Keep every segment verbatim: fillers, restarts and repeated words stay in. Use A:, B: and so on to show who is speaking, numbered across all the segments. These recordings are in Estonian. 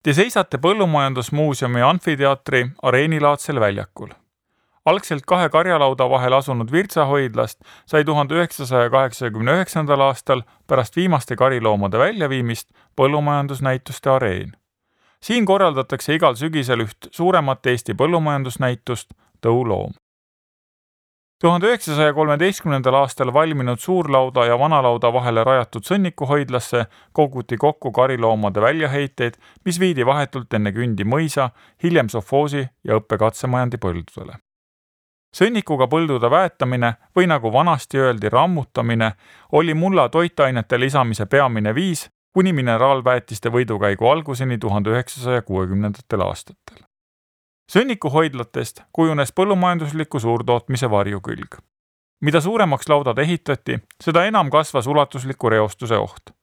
A: Te seisate Põllumajandusmuuseumi amfiteatri areenilaadsel väljakul. Algselt kahe karjalauda vahel asunud Virtsa-hoidlast sai tuhande üheksasaja kaheksakümne üheksandal aastal pärast viimaste kariloomade väljaviimist põllumajandusnäituste areen. Siin korraldatakse igal sügisel üht suuremat Eesti põllumajandusnäitust Tõuloom. tuhande üheksasaja kolmeteistkümnendal aastal valminud suurlauda ja vanalauda vahele rajatud sõnnikuhoidlasse koguti kokku kariloomade väljaheiteid, mis viidi vahetult enne Kündi mõisa, hiljem sovhoosi ja õppekatsemajandi põldudele. Sõnnikuga põldude väetamine või nagu vanasti öeldi rammutamine oli mulla toitainete lisamise peamine viis kuni mineraalväetiste võidukäigu alguseni tuhande üheksasaja kuuekümnendatel aastatel. Sõnnikuhoidlatest kujunes põllumajandusliku suurtootmise varjukülg. Mida suuremaks laudad ehitati, seda enam kasvas ulatusliku reostuse oht.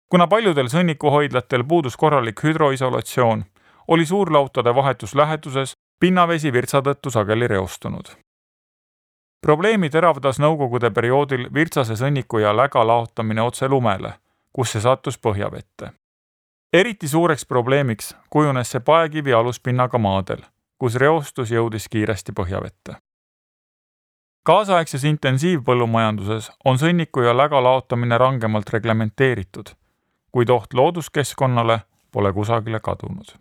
A: Kuna paljudel sõnnikuhoidlatel puudus korralik hüdroisolatsioon, oli suurlautade vahetus läheduses pinnavesi Virtsa tõttu sageli reostunud. Probleemi teravdas nõukogude perioodil Virtsase sõnniku ja läga laotamine otse lumele, kus see sattus põhjavette. Eriti suureks probleemiks kujunes see paekivi aluspinnaga maadel, kus reostus jõudis kiiresti põhjavette. Kaasaegses intensiivpõllumajanduses on sõnniku ja läga laotamine rangemalt reglementeeritud, kuid oht looduskeskkonnale pole kusagile kadunud.